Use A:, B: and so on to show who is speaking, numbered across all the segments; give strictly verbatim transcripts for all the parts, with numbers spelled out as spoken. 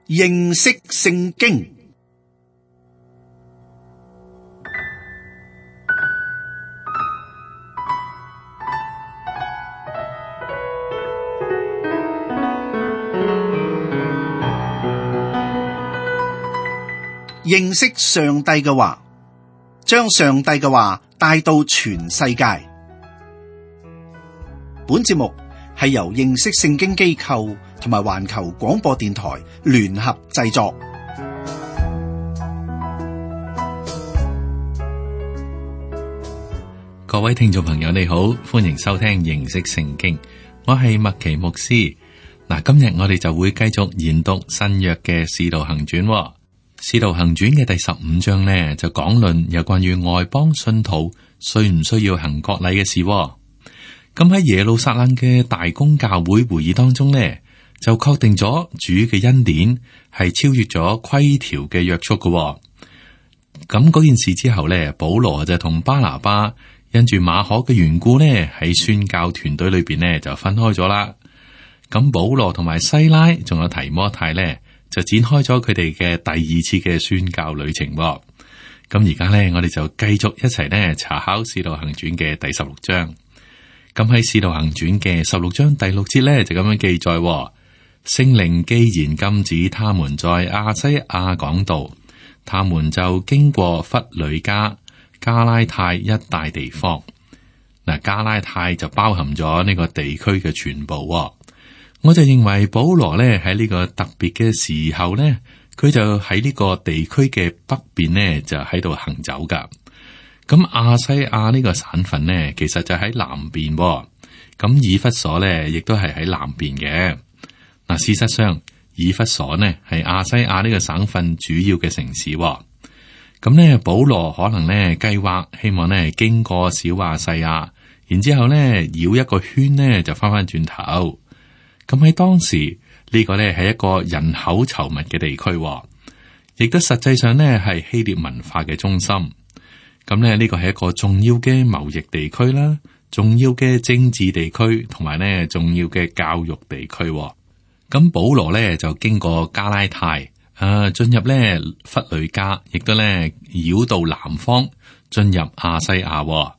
A: 認識聖經。認識上帝嘅話，將上帝嘅話帶到全世界。本節目係由認識聖經機構同埋環球廣播電台聯合製作。
B: 各位聽眾朋友你好，歡迎收聽認識聖經，我係麥奇牧師。嗱，今日我哋就會繼續研讀新約嘅使徒行傳。使徒行傳嘅第十五章呢，就講論有關於外邦信徒需唔需要行割禮嘅事。咁喺耶路撒冷嘅大公教會會議當中呢，就確定咗主嘅恩典係超越咗規條嘅約束嘅。咁嗰件事之後呢，保羅就同巴拿巴因住馬可嘅緣故呢，喺宣教團隊裏邊呢就分開咗啦。咁保羅同埋西拉仲有提摩太呢，就展開咗佢哋嘅第二次嘅宣教旅程。咁而家呢，我哋就繼續一齊呢查考《使徒行傳》嘅第十六章。咁喺《使徒行傳》嘅十六章第六節呢，就咁樣記載：聖靈既然禁止他們在亞西亞講道，他們就經過弗呂家、加拉太一帶地方。嗱，加拉太就包含咗呢個地區嘅全部。我就認為保羅咧喺呢個特別嘅時候咧，佢就喺呢個地區嘅北邊呢，就喺度行走噶。咁亞西亞呢個省份呢，其實就喺南邊。咁以弗所咧亦都係喺南邊嘅。嗱，事實上以弗所呢係亞西亞呢個省份主要嘅城市。咁呢，保羅可能呢計劃希望呢經過小亞細亞，然之後呢繞一個圈呢就翻翻轉頭。咁喺當時呢個咧係一個人口稠密嘅地區，亦都實際上咧係希臘文化嘅中心。咁咧呢個係一個重要嘅貿易地區啦，重要嘅政治地區，同埋咧重要嘅教育地區。咁保羅咧就經過加拉太，啊進入咧弗呂家，亦都咧繞到南方進入亞西亞。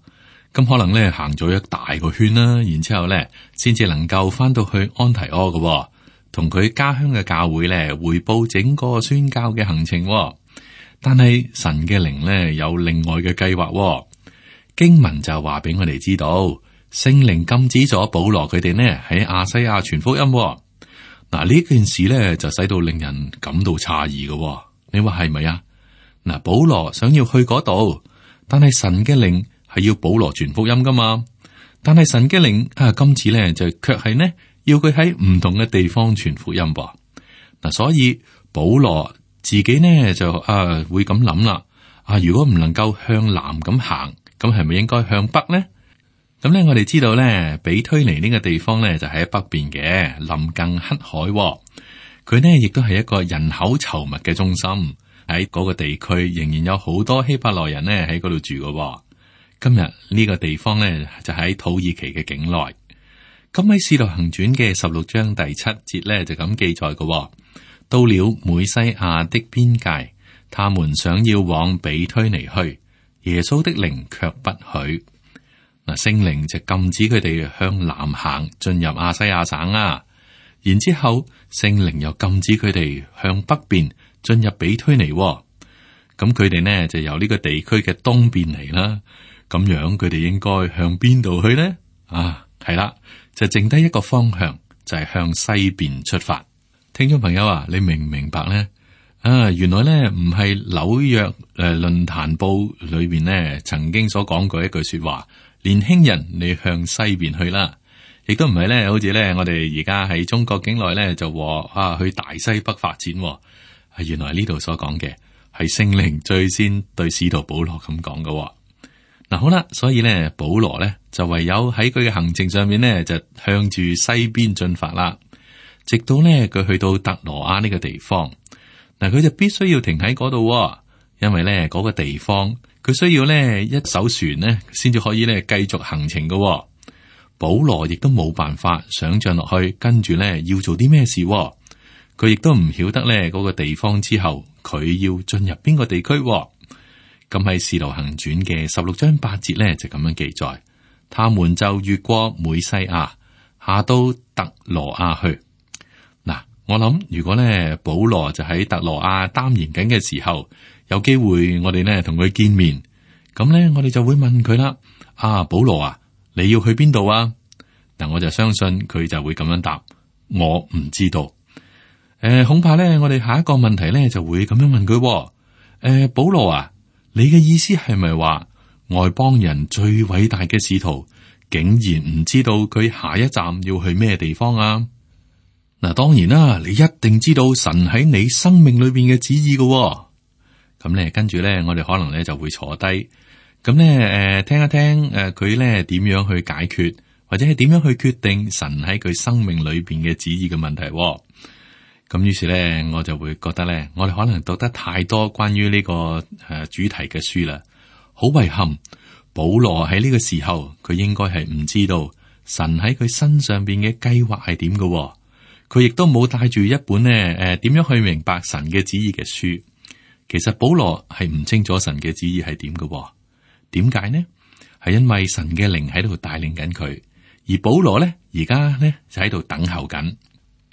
B: 咁可能咧行咗一大個圈啦，然之後咧先至能夠翻到去安提阿嘅，同佢家鄉嘅教會咧匯報整個宣教嘅行程。但係神嘅靈咧有另外嘅計劃。經文就話俾我哋知道，聖靈禁止咗保羅佢哋呢喺亞西亞傳福音。嗱，呢件事咧就使到令人感到詫異嘅。你話係咪啊？嗱，保羅想要去嗰度，但係神嘅靈係要保羅傳福音噶嘛？但係神嘅靈啊，今次咧就卻係呢，要佢喺唔同嘅地方傳福音噃。嗱，所以保羅自己呢就啊會咁諗啦。啊，如果唔能夠向南咁行，咁係咪應該向北呢？咁咧，我哋知道咧，比推尼呢個地方咧就喺北邊嘅，臨近黑海。佢呢亦都係一個人口稠密嘅中心，喺嗰個地區仍然有好多希伯來人呢喺嗰度住嘅。今日呢個地方呢，就喺土耳其嘅境內。咁喺《使徒行傳》嘅十六章第七節呢，就咁記載嘅。到了美西亞的邊界，他們想要往比推尼去，耶穌的靈卻不許。嗱，聖靈就禁止佢哋向南行進入亞西亞省啊。然之後聖靈又禁止佢哋向北邊進入比推尼。咁佢哋呢，就由呢個地區嘅東邊嚟啦。咁樣佢哋應該向邊度去呢？啊，係啦，就剩低一個方向，就係向西邊出發。聽眾朋友啊，你明唔明白呢？啊，原來呢唔係紐約誒論壇報裏邊呢曾經所講過一句說話，年輕人你向西邊去啦，亦都唔係呢，好似呢我哋而家喺中國境內呢就話啊去大西北發展。啊，原來呢度所講嘅係聖靈最先對使徒保羅咁講嘅。嗱，好啦，所以咧，保羅咧就唯有喺佢嘅行程上面咧，就向住西邊進發啦。直到咧佢去到特羅亞呢個地方，嗱，佢就必須要停喺嗰度，因為咧嗰個地方佢需要咧一艘船咧，先至可以咧繼續行程嘅。保羅亦都冇辦法想象落去，跟住咧要做啲咩事。佢亦都唔曉得咧嗰個地方之後，佢要進入邊個地區。咁喺《使徒行傳》嘅十六章八節咧就咁樣記載，他們就越過美西亞，下到特羅亞去。嗱，我諗如果咧保羅就喺特羅亞擔言緊嘅時候，有機會我哋咧同佢見面，咁咧我哋就會問佢啦：啊，保羅啊，你要去邊度啊？嗱，我就相信佢就會咁樣答：我唔知道。誒、呃，恐怕咧我哋下一個問題咧就會咁樣問佢：誒、呃，保羅啊，你嘅意思係咪話外邦人最偉大嘅使徒竟然唔知道佢下一站要去咩地方啊？嗱，當然啦，你一定知道神喺你生命裏邊嘅旨意嘅。咁咧，跟住咧，我哋可能咧就會坐低，咁咧誒，聽一聽誒，佢咧點樣去解決，或者係點樣去決定神喺佢生命裏邊嘅旨意嘅問題。咁於是咧，我就會覺得咧，我哋可能讀得太多關於呢個誒主題嘅書啦。好遺憾，保羅喺呢個時候，佢應該係唔知道神喺佢身上邊嘅計劃係點嘅。佢亦都冇帶住一本咧誒點樣去明白神嘅旨意嘅書。其實保羅係唔清楚神嘅旨意係點嘅。點解呢？係因為神嘅靈喺度帶領緊佢，而保羅咧而家咧就喺度等候緊。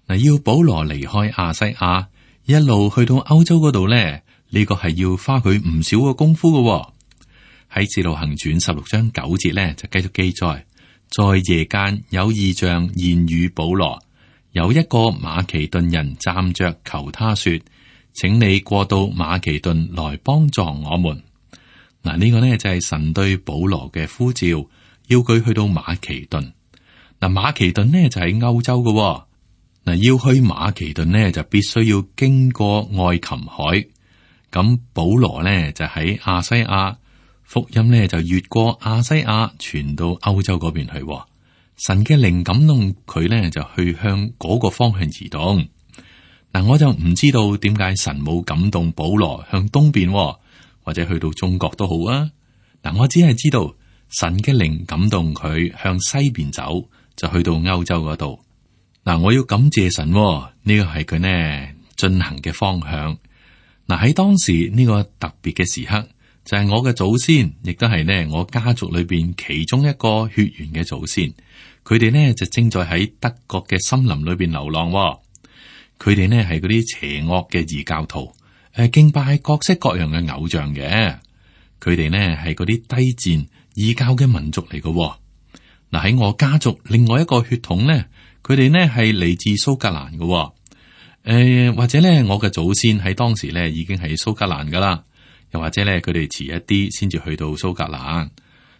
B: 嗱，要保羅離開亞西亞，一路去到歐洲嗰度咧，呢個係要花佢唔少嘅功夫嘅。喺《使徒行傳》十六章九節咧就繼續記載，在夜間有異象現與保羅，有一個馬其頓人站着求他說：請你過到馬其頓來幫助我們。嗱，呢個呢就係神對保羅嘅呼召，要佢去到馬其頓。嗱，馬其頓呢就喺歐洲嘅。嗱，要去馬其頓呢，就必須要經過愛琴海。咁保羅呢，就喺亞西亞，福音呢，就越過亞西亞傳到歐洲嗰邊去。神嘅靈感動佢呢，就去向嗰個方向移動。嗱，我就唔知道點解神冇感動保羅向東邊，或者去到中國都好啊。嗱，我只係知道神嘅靈感動佢向西邊走，就去到歐洲嗰度。嗱，我要感謝神，呢個係佢呢進行嘅方向。嗱，喺當時呢個特別嘅時刻，就係我嘅祖先，亦都係呢我家族裏邊其中一個血緣嘅祖先。佢哋呢就正在喺德國嘅森林裏邊流浪。佢哋呢係嗰啲邪惡嘅異教徒，誒敬拜各式各樣嘅偶像嘅。佢哋呢係嗰啲低賤異教嘅民族嚟嘅。嗱，喺我家族另外一個血統呢，佢哋呢係嚟自蘇格蘭嘅。誒、呃，或者呢，我嘅祖先喺當時呢已經係蘇格蘭噶啦，又或者呢，佢哋遲一啲先至去到蘇格蘭。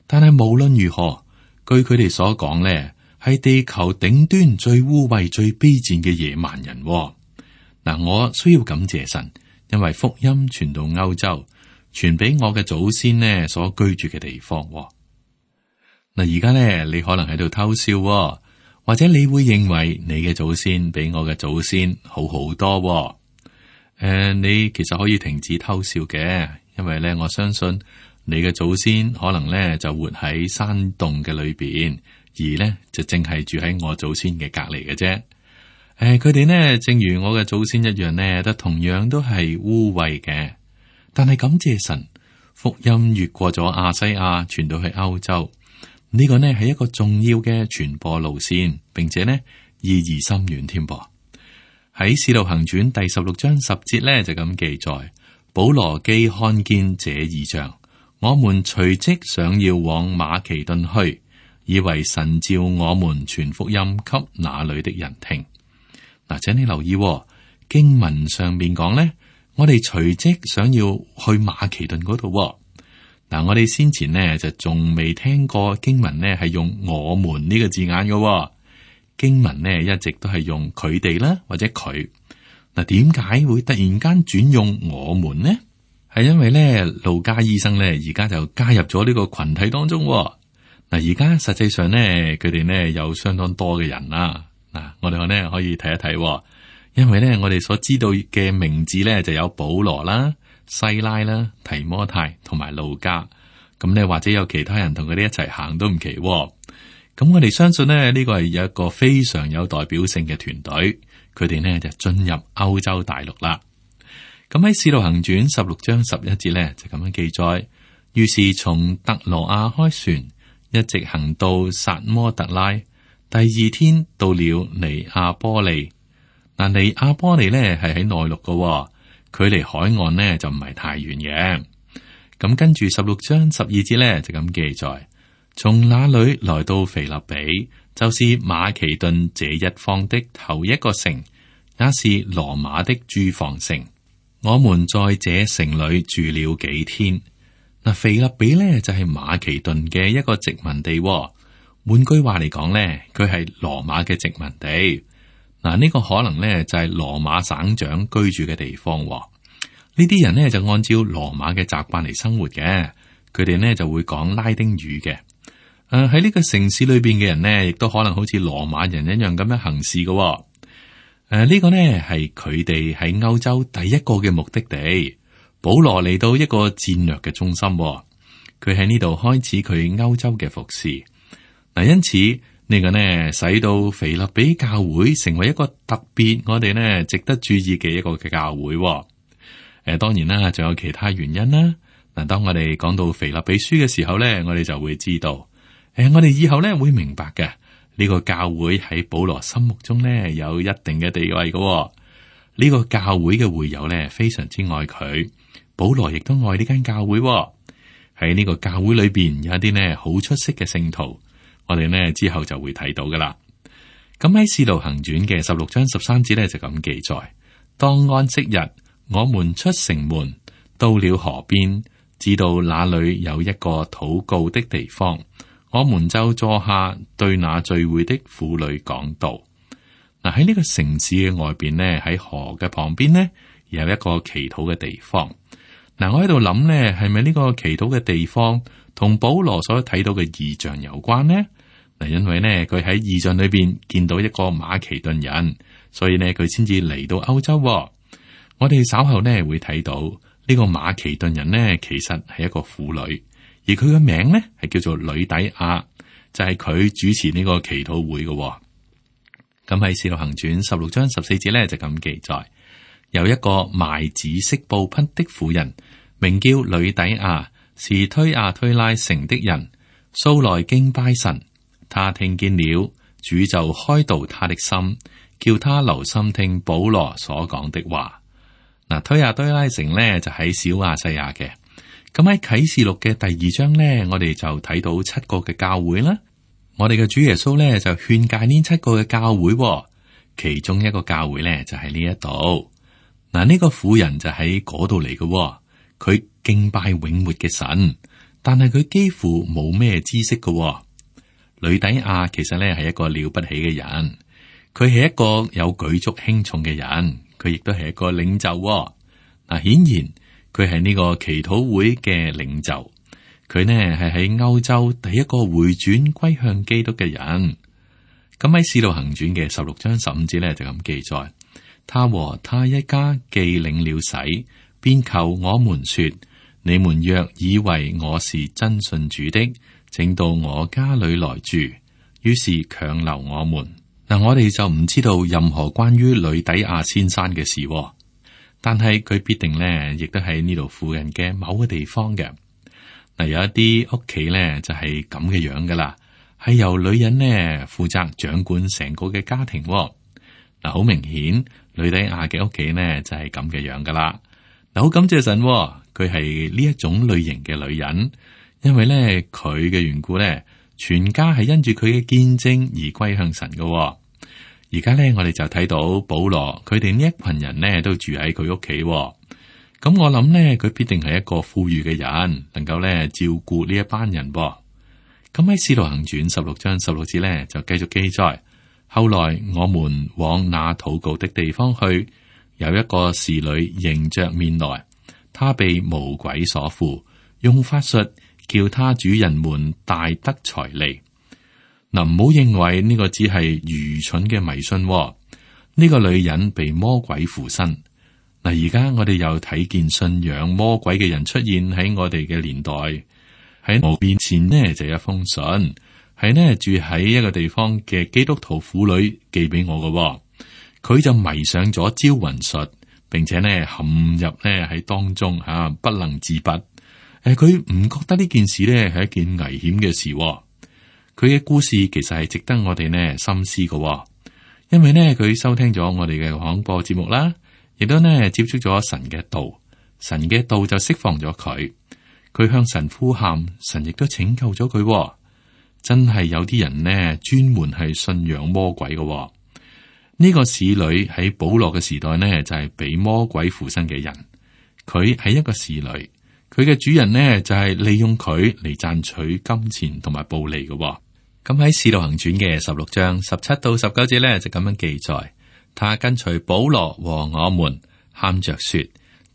B: 但係無論如何，據佢哋所講呢，係地球頂端最污穢、最卑賤嘅野蠻人。嗱，我需要感謝神，因為福音傳到歐洲，傳俾我嘅祖先呢所居住嘅地方。嗱，而家呢，你可能喺度偷笑，或者你會認為你嘅祖先比我嘅祖先好好多。誒、呃，你其實可以停止偷笑嘅，因為咧，我相信你嘅祖先可能咧就活喺山洞嘅裏邊，而咧就淨係住喺我祖先嘅隔籬嘅啫。誒、呃，佢哋呢，正如我嘅祖先一樣呢，都同樣都係污穢嘅。但係感謝神，福音越過咗亞西亞，傳到去歐洲。呢個呢係一個重要嘅傳播路線，並且呢意義深遠添噃。喺《使徒行傳》第十六章十節呢就咁記載：保羅既看見這異象，我們隨即想要往馬其頓去，以為神召我們傳福音給那裏的人聽。嗱，請你留意喎，經文上面講呢，我哋隨即想要去馬其頓嗰度。嗱，我哋先前呢就仲未聽過經文呢係用我們呢個字眼嘅。經文呢一直都係用佢哋啦，或者佢。嗱，點解會突然間轉用我們呢？係因為咧，路加醫生咧而家就加入咗呢個群體當中。嗱，而家實際上咧，佢哋呢有相當多嘅人啦。嗱，我哋呢可以睇一睇，因為咧我哋所知道嘅名字咧就有保羅啦、西拉啦、提摩太同埋路加。咁咧或者有其他人同佢哋一齊行都唔奇。咁我哋相信呢，呢個係有一個非常有代表性嘅團隊，佢哋呢就進入歐洲大陸啦。咁喺《使徒行傳》十六章十一節呢，就咁樣記載，於是從特羅亞開船，一直行到撒摩特拉，第二天到了尼亞波利。嗱，尼亞波利呢係喺內陸嘅，距離海岸呢就唔係太遠嘅。咁跟住十六章十二節呢，就咁記載，從那裏來到腓立比，就是馬其頓這一方的頭一個城，也是羅馬的駐防城。我們在這城裏住了幾天。嗱，腓立比呢就係馬其頓嘅一個殖民地。換句話嚟講呢，佢係羅馬嘅殖民地。嗱，呢個可能呢就係羅馬省長居住嘅地方。呢啲人呢就按照羅馬嘅習慣嚟生活嘅，佢哋呢就會講拉丁語嘅。誒，喺呢個城市裏邊嘅人呢，亦都可能好似羅馬人一樣咁樣行事嘅。誒、呃，呢、這個呢係佢哋喺歐洲第一個嘅目的地。保羅嚟到一個戰略嘅中心，佢喺呢度開始佢歐洲嘅服侍。嗱，因此呢、這個呢使到腓立比教會成為一個特別我哋呢值得注意嘅一個嘅教會。誒、呃，當然啦，仲有其他原因啦。嗱，當我哋講到腓立比書嘅時候呢，我哋就會知道，誒、呃，我哋以後呢會明白嘅。呢個教會喺保羅心目中呢有一定嘅地位嘅。呢個教會嘅會友呢非常之愛佢，保羅亦都愛呢間教會。喺呢個教會裏邊有一啲呢好出色嘅聖徒，我哋呢之後就會睇到噶啦。咁喺《使徒行傳》嘅十六章十三節呢就咁記載：當安息日，我們出城門，到了河邊，知道那裏有一個禱告的地方。我們就坐下，對那聚會的婦女講道。嗱，喺呢個城市嘅外邊呢，喺河嘅旁邊呢，有一個祈禱嘅地方。嗱，我喺度諗呢，係咪呢個祈禱嘅地方同保羅所睇到嘅異象有關呢？嗱，因為呢，佢喺異象裏邊見到一個馬其頓人，所以呢，佢先至嚟到歐洲。我哋稍後呢會睇到呢個馬其頓人呢，其實係一個婦女。而佢嘅名呢係叫做呂底亞，就係、是、佢主持呢個祈禱會嘅、哦。咁喺《使徒行傳》十六章十四節呢，就咁記載，有一個賣紫色布匹的婦人，名叫呂底亞，是推亞推拉城的人，素來敬拜神。他聽見了，主就開導他的心，叫他留心聽保羅所講的話。嗱，推亞推拉城呢，就喺小亞細亞嘅。咁喺啟示錄嘅第二章呢，我哋就睇到七個嘅教會啦。我哋嘅主耶穌呢，就勸誡呢七個嘅教會，其中一個教會呢，就喺呢一度。嗱，呢個婦人就喺嗰度嚟嘅，佢敬拜永活嘅神，但係佢幾乎冇咩知識嘅。呂底亞其實呢係一個了不起嘅人，佢係一個有舉足輕重嘅人，佢亦都係一個領袖。嗱，顯然。佢係呢個祈禱會嘅領袖，佢呢係喺歐洲第一個回轉歸向基督嘅人。咁喺《使徒行傳》嘅十六章十五節呢，就咁記載，他和他一家既領了洗，便求我們說：你們若以為我是真信主的，請到我家裏來住。於是強留我們。嗱，我哋就唔知道任何關於呂底亞先生嘅事。但係佢必定咧，亦都喺呢度附近嘅某個地方嘅。嗱，有一啲屋企咧就係咁嘅樣噶啦，係由女人呢負責掌管成個嘅家庭。嗱，好明顯，呂底亞嘅屋企呢就係咁嘅樣噶啦。嗱，好感謝神，佢係呢一種類型嘅女人，因為咧佢嘅緣故咧，全家係因住佢嘅見證而歸向神噶。而家咧，我哋就睇到保羅佢哋呢一群人呢都住喺佢屋企。咁我諗呢，佢必定係一個富裕嘅人，能夠咧照顧呢一班人。咁喺《使徒行傳》十六章十六節咧，就繼續記載：後來我們往那禱告的地方去，有一個侍女迎着面來，她被魔鬼所附，用法術叫他主人們大得財利。嗱，唔好認為呢個只係愚蠢嘅迷信。呢個女人被魔鬼附身。嗱，而家我哋又睇見信仰魔鬼嘅人出現喺我哋嘅年代。喺我面前呢就有一封信，係呢住喺一個地方嘅基督徒婦女寄俾我嘅。佢就迷上咗招魂術，並且呢陷入呢喺當中吓、啊、不能自拔。誒，佢唔覺得呢件事呢係一件危險嘅事、哦。佢嘅故事其實係值得我哋呢深思嘅、哦，因為呢佢收聽咗我哋嘅廣播節目啦，亦都呢接觸咗神嘅道，神嘅道就釋放咗佢。佢向神呼喊，神亦都拯救咗佢、哦。真係有啲人呢專門係信仰魔鬼嘅、哦。呢、這個使女喺保羅嘅時代呢就係、是、俾魔鬼附身嘅人。佢係一個使女，佢嘅主人呢就係、是、利用佢嚟賺取金錢同埋暴利嘅、哦。咁喺《使徒行傳》嘅十六章十七到十九節呢，就咁樣記載，他跟隨保羅和我們，喊着說：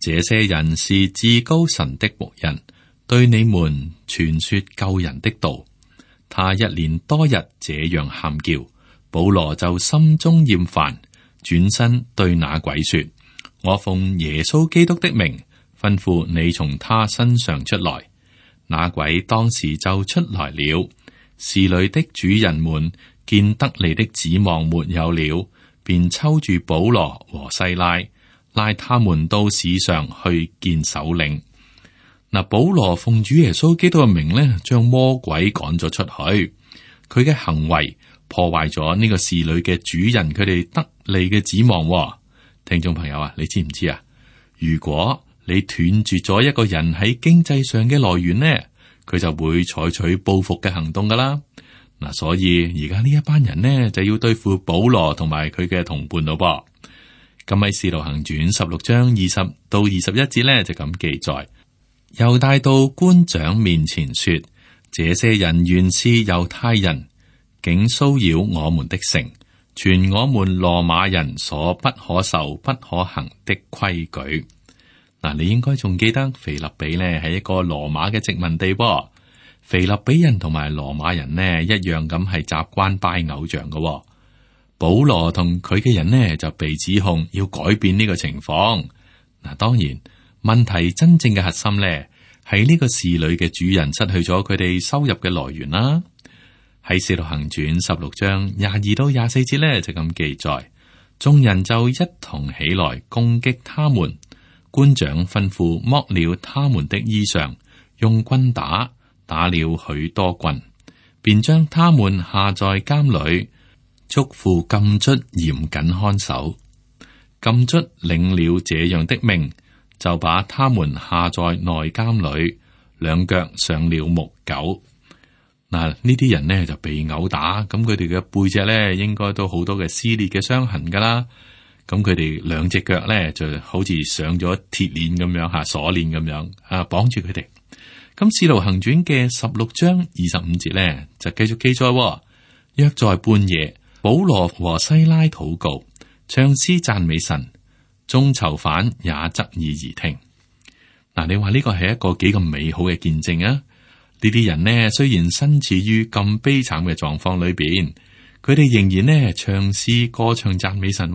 B: 這些人是至高神的僕人，對你們傳說救人的道。他一連多日這樣喊叫，保羅就心中厭煩，轉身對那鬼說：我奉耶穌基督的名，吩咐你從他身上出來。那鬼當時就出來了。侍女的主人們見得利的指望沒有了，便抽住保羅和西拉，拉他們到市上去見首領。嗱，保羅奉主耶穌基督嘅名咧，將魔鬼趕咗出去。佢嘅行為破壞咗呢個侍女嘅主人佢哋得利嘅指望。聽眾朋友啊，你知唔知啊？如果你斷絕咗一個人喺經濟上嘅來源呢，佢就會採取報復嘅行動噶啦。嗱，所以而家呢一班人呢就要對付保羅同埋佢嘅同伴咯噃。咁喺《使徒行傳》十六章二十到二十一節呢，就咁記載，又帶到官長面前說：這些人原是猶太人，竟騷擾我們的城，傳我們羅馬人所不可受不可行的規矩。嗱，你應該仲記得腓立比呢係一個羅馬嘅殖民地噃。腓立比人同埋羅馬人呢一樣咁係習慣拜偶像嘅。保羅同佢嘅人呢就被指控要改變呢個情況。嗱，當然問題真正嘅核心呢係呢個侍女嘅主人失去咗佢哋收入嘅來源啦。喺《使徒行傳》十六章廿二到廿四節呢就咁記載，眾人就一同起來攻擊他們。官長吩咐剝了他們的衣裳，用棍打，打了許多棍，便將他們下在監裏，囑咐禁卒嚴謹看守。禁卒領了這樣的命，就把他們下在內監裏，兩腳上了木狗。嗱，呢啲人呢就被毆打，咁佢哋嘅背脊呢應該都好多嘅撕裂嘅傷痕噶啦。咁佢哋兩隻腳咧就好似上咗鐵鏈咁樣吓，鎖鏈咁樣啊，綁住佢哋。咁《使徒行傳》嘅十六章二十五節咧就繼續記載：約在半夜，保羅和西拉禱告，唱詩讚美神，眾囚犯也側耳而聽。嗱，你話呢個係一個幾咁美好嘅見證啊？呢啲人呢，雖然身處於咁悲慘嘅狀況裏邊，佢哋仍然呢唱詩歌唱讚美神。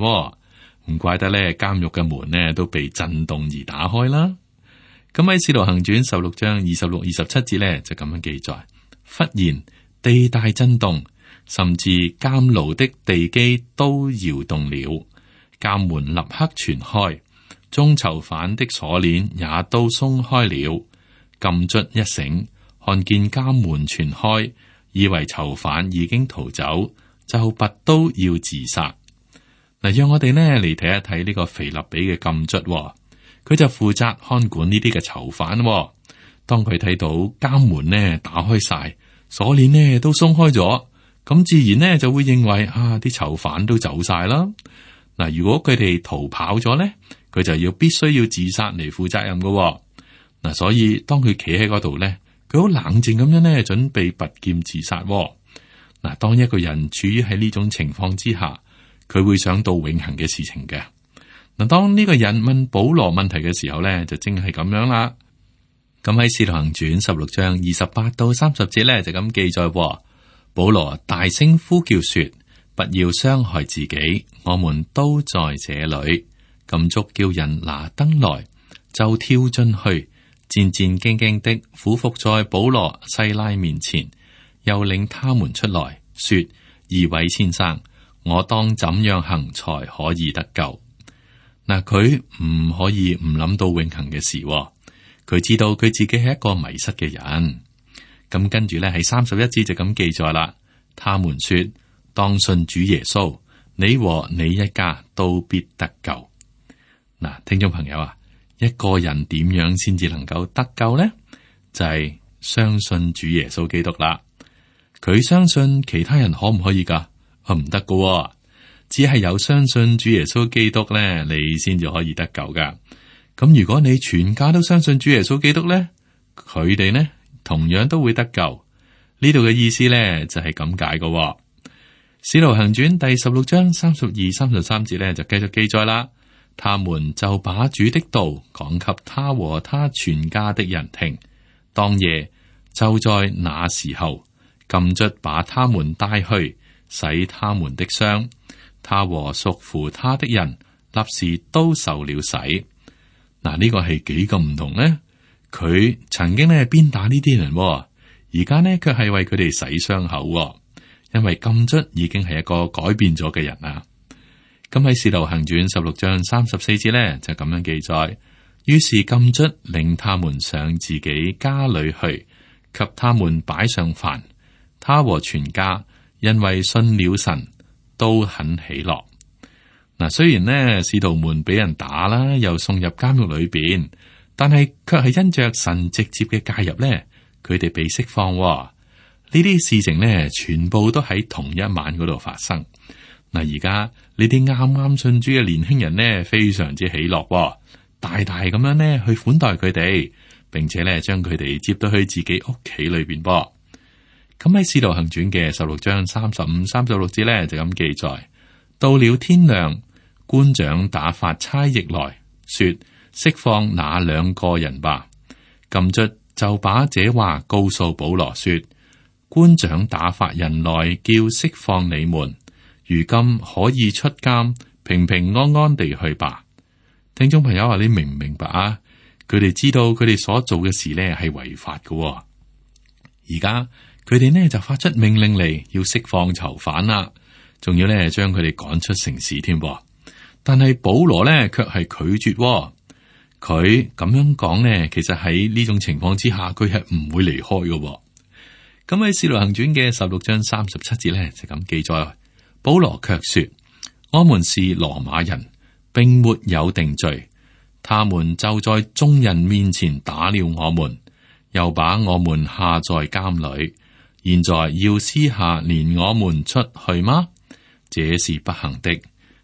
B: 唔怪得咧，監獄嘅門呢都被震動而打開啦。咁喺《使徒行傳》十六章二十六、二十七節咧就咁樣記載：忽然地大震動，甚至監牢的地基都搖動了，監門立刻全開，眾囚犯的鎖鏈也都鬆開了。禁卒一醒，看見監門全開，以為囚犯已經逃走，就拔刀要自殺。嗱，讓我哋呢嚟睇一睇呢個腓立比嘅禁卒，佢就負責看管呢啲嘅囚犯。當佢睇到監門呢打開晒，鎖鏈呢都鬆開咗，咁自然呢就會認為啊，啲囚犯都走晒啦。嗱，如果佢哋逃跑咗呢，佢就要必須要自殺嚟負責任噶。嗱，所以當佢企喺嗰度呢，佢好冷靜咁樣呢，準備拔劍自殺。嗱，當一個人處於喺呢種情況之下，佢會想到永恆嘅事情嘅。嗱，當呢個人問保羅問題嘅時候咧，就正係咁樣啦。咁喺《使徒行傳》十六章二十八到三十節咧，就咁記載：保羅大聲呼叫說：不要傷害自己，我們都在這裏。禁卒叫人拿燈來，就跳進去，戰戰兢兢的俯伏在保羅、西拉面前，又領他們出來，說：二位先生，我當怎樣行才可以得救？嗱，佢唔可以唔諗到永恆嘅事，佢知道佢自己係一個迷失嘅人。咁跟住咧，喺三十一節就咁記載啦。他們說：當信主耶穌，你和你一家都必得救。嗱，聽眾朋友啊，一個人點樣先至能夠得救呢？就係相信主耶穌基督啦。佢相信其他人可唔可以噶？唔得噶，只係有相信主耶穌基督咧，你先至可以得救噶。咁如果你全家都相信主耶穌基督咧，佢哋呢同樣都會得救。呢度嘅意思咧就係咁解噶。使徒行傳第十六章三十二、三十三節咧就繼續記載啦。他們就把主的道講給他和他全家的人聽。當夜就在那時候，禁卒把他們帶去洗他們的傷。他和屬乎他的人立時都受了洗。嗱，呢個係幾咁唔同呢？佢曾經咧鞭打呢啲人，而家呢卻係為佢哋洗傷口，因為禁卒已經係一個改變咗嘅人啊。咁喺《使徒行傳》十六章三十四節咧就咁樣記載，於是禁卒領他們上自己家裏去，給他們擺上飯。他和全家因為信了神，都很喜樂。嗱，雖然呢使徒們俾人打啦，又送入監獄裏邊，但係卻係因着神直接嘅介入咧，佢哋被釋放。呢啲事情咧，全部都喺同一晚嗰度發生。嗱，而家呢啲啱啱信主嘅年輕人呢，非常之喜樂，大大咁樣呢去款待佢哋，並且咧將佢哋接到去自己屋企裏邊噃。咁喺《使徒行傳》嘅十六章三十五、三十六節咧就咁記載：到了天亮，官長打發差役來說，釋放那兩個人吧。禁卒就把這話告訴保羅說：官長打發人來叫釋放你們。如今可以出監，平平安安地去吧。聽眾朋友話，你明唔明白啊？佢哋知道佢哋所做嘅事呢係違法嘅。而家佢哋呢就發出命令嚟，要釋放囚犯啦，仲要呢將佢哋趕出城市添。但係保羅呢卻係拒絕。佢咁樣講呢，其實喺呢種情況之下，佢係唔會離開嘅。咁喺《使徒行傳》嘅十六章三十七節呢，就咁記載。保羅卻說：我們是羅馬人，並沒有定罪。他們就在眾人面前打了我們，又把我們下在監裏。現在要私下連我們出去嗎？這是不行的。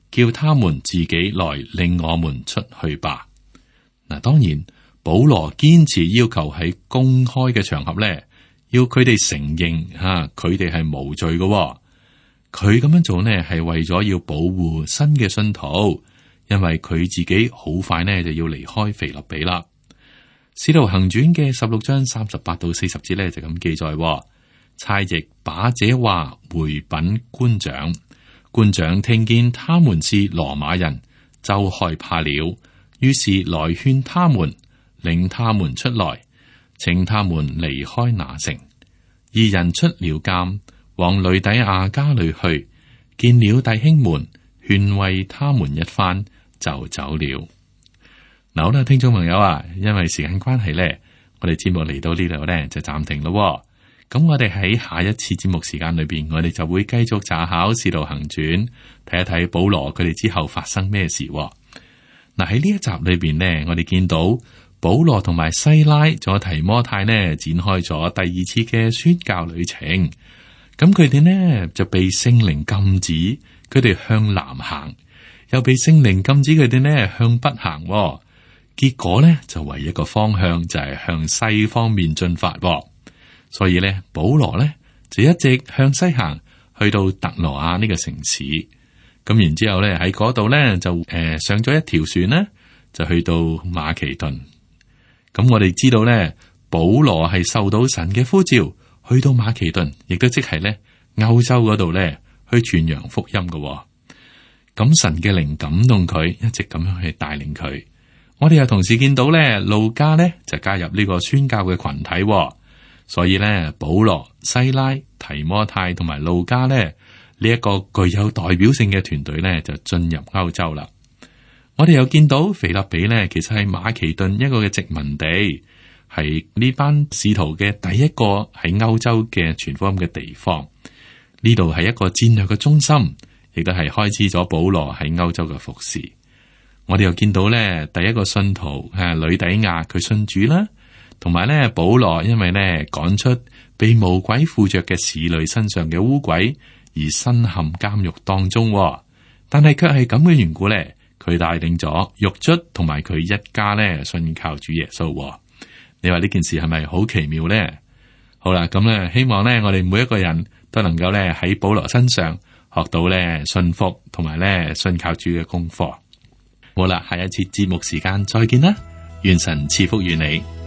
B: 叫他們自己來令我們出去吧。嗱，當然保羅堅持要求喺公開嘅場合咧，要佢哋承認吓佢哋係無罪嘅。佢咁樣做呢，係為咗要保護新嘅信徒，因為佢自己好快呢就要離開腓立比啦。使徒行傳嘅十六章三十八到四十節呢，就咁記載：差役把這話回稟官長，官長聽見他們是羅馬人，就害怕了，於是來勸他們，領他們出來，請他們離開那城。二人出了監，往呂底亞家裏去，見了弟兄們，勸慰他們一番，就走了。嗱，好啦，聽眾朋友啊，因為時間關係咧，我哋節目嚟到呢度咧就暫停咯。咁我哋喺下一次節目時間裏邊，我哋就會繼續查考《使徒行傳》，睇一睇保羅佢哋之後發生咩事。嗱，喺呢一集裏邊呢，我哋見到保羅同埋西拉仲有提摩太呢，展開咗第二次嘅宣教旅程。咁佢哋呢就被聖靈禁止佢哋向南行，又被聖靈禁止佢哋呢向北行。結果呢就唯一個方向就係向西方面進發。所以呢，保羅呢就一直向西行，去到特羅亞呢個城市。咁然之後咧喺嗰度呢，就誒、呃、上咗一條船呢，就去到馬其頓。咁我哋知道呢，保羅係受到神嘅呼召，去到馬其頓，亦都即係咧歐洲嗰度咧去傳揚福音嘅。咁神嘅靈感動佢，一直咁樣去帶領佢。我哋又同時見到咧，路加咧就加入呢個宣教嘅群體。所以咧，保羅、西拉、提摩太同埋路加咧呢一個具有代表性嘅團隊咧就進入歐洲啦。我哋又見到腓立比咧，其實係馬其頓一個嘅殖民地，係呢班使徒嘅第一個喺歐洲嘅傳福音嘅地方。呢度係一個戰略嘅中心，亦都係開始咗保羅喺歐洲嘅服侍。我哋又見到咧，第一個信徒係呂底亞，佢信主啦，同埋咧保羅因為咧趕出被魔鬼附着嘅使女身上嘅污鬼而身陷監獄當中，但係卻係咁嘅緣故咧。佢帶領咗獄卒同埋佢一家咧信靠主耶穌。你話呢件事係咪好奇妙咧？好啦，咁咧希望咧我哋每一個人都能夠咧喺保羅身上學到咧信服同埋咧信靠主嘅功課。好啦，下一次節目時間再見啦，願神賜福於你。